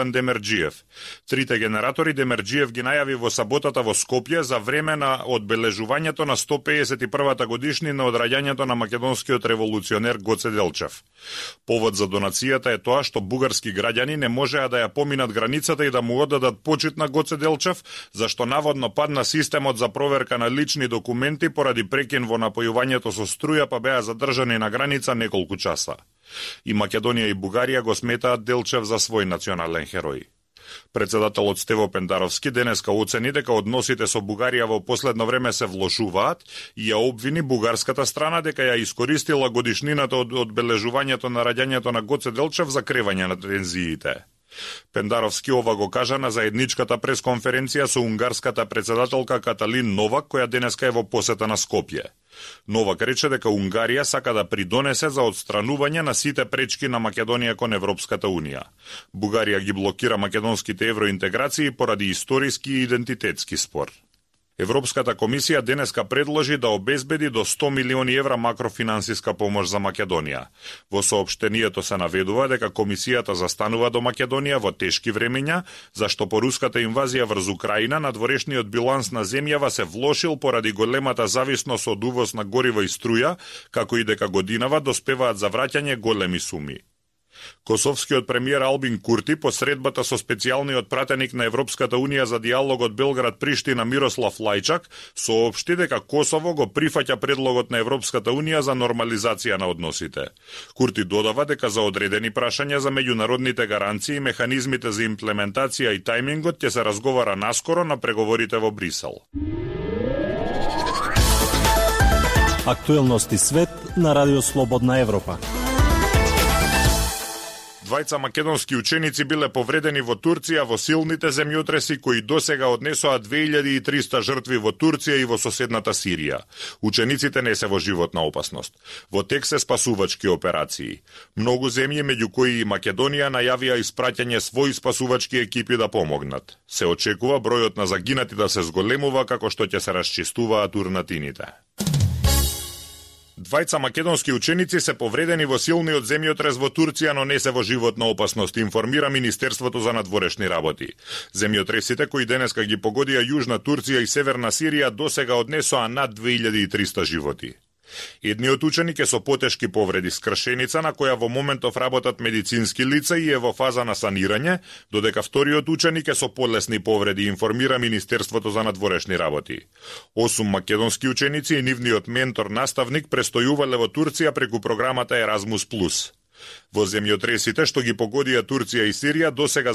Демерджиев. Трите генератори Демерджиев ги најави во саботата во Скопје за време на одбележувањето на 151-та годишнина од раѓањето на македонскиот револуционер Гоце Делчев. Повод за донацијата е тоа што бугарски граѓани не можеа да ја поминат границата и да му оддадат почит на Гоце Делчев, зашто наводно падна системот за проверка на лични документи поради прекин во напојувањето со струја, па беа задржани на граница неколку часа. И Македонија и Бугарија го сметаат Делчев за свој национален херој. Председателот Стево Пендаровски денеска оцени дека односите со Бугарија во последно време се влошуваат и ја обвини бугарската страна дека ја искористила годишнината од одбележувањето на раѓањето на Гоце Делчев за кревање на тензиите. Пендаровски ова го кажа на заедничката пресконференција со унгарската председателка Каталин Новак, која денеска е во посета на Скопје. Новак рече дека Унгарија сака да придонесе за отстранување на сите пречки на Македонија кон Европската Унија. Бугарија ги блокира македонските евроинтеграции поради историски и идентитетски спор. Европската комисија денеска предложи да обезбеди до 100 милиони евра макрофинансиска помош за Македонија. Во соопштението се наведува дека комисијата застанува до Македонија во тешки времења, зашто по руската инвазија врз Украина надворешниот биланс на земјава се влошил поради големата зависност од увоз на гориво и струја, како и дека годинава доспеваат за враќање големи суми. Косовскиот премиер Албин Курти по средбата со специјалниот пратеник на Европската Унија за диалогот Белград-Приштина Мирослав Лајчак соопшти дека Косово го прифаќа предлогот на Европската Унија за нормализација на односите. Курти додава дека за одредени прашања за меѓународните гаранции и механизмите за имплементација и тајмингот ќе се разговара наскоро на преговорите во Брисел. Актуелности свет на Радио Слободна Европа. Двајца македонски ученици биле повредени во Турција во силните земјотреси кои досега однесоа 2300 жртви во Турција и во соседната Сирија. Учениците не се во животна опасност. Во тек се спасувачки операции. Многу земји, меѓу кои и Македонија, најавија испраќање своји спасувачки екипи да помогнат. Се очекува бројот на загинати да се зголемува како што ќе се расчистуваат урнатините. Двајца македонски ученици се повредени во силниот земјотрес во Турција, но не се во животна опасност, информира Министерството за надворешни работи. Земјотресите кои денеска ги погодија Јужна Турција и Северна Сирија досега однесоа над 2300 животи. Едниот ученик е со потешки повреди скршеница на која во моментов работат медицински лица и е во фаза на санирање, додека вториот ученик е со полесни повреди, информира Министерството за надворешни работи. 8 македонски ученици и нивниот ментор-наставник престојувале во Турција преку програмата Еразмус+. Во земјотресите што ги погодија Турција и Сирија досега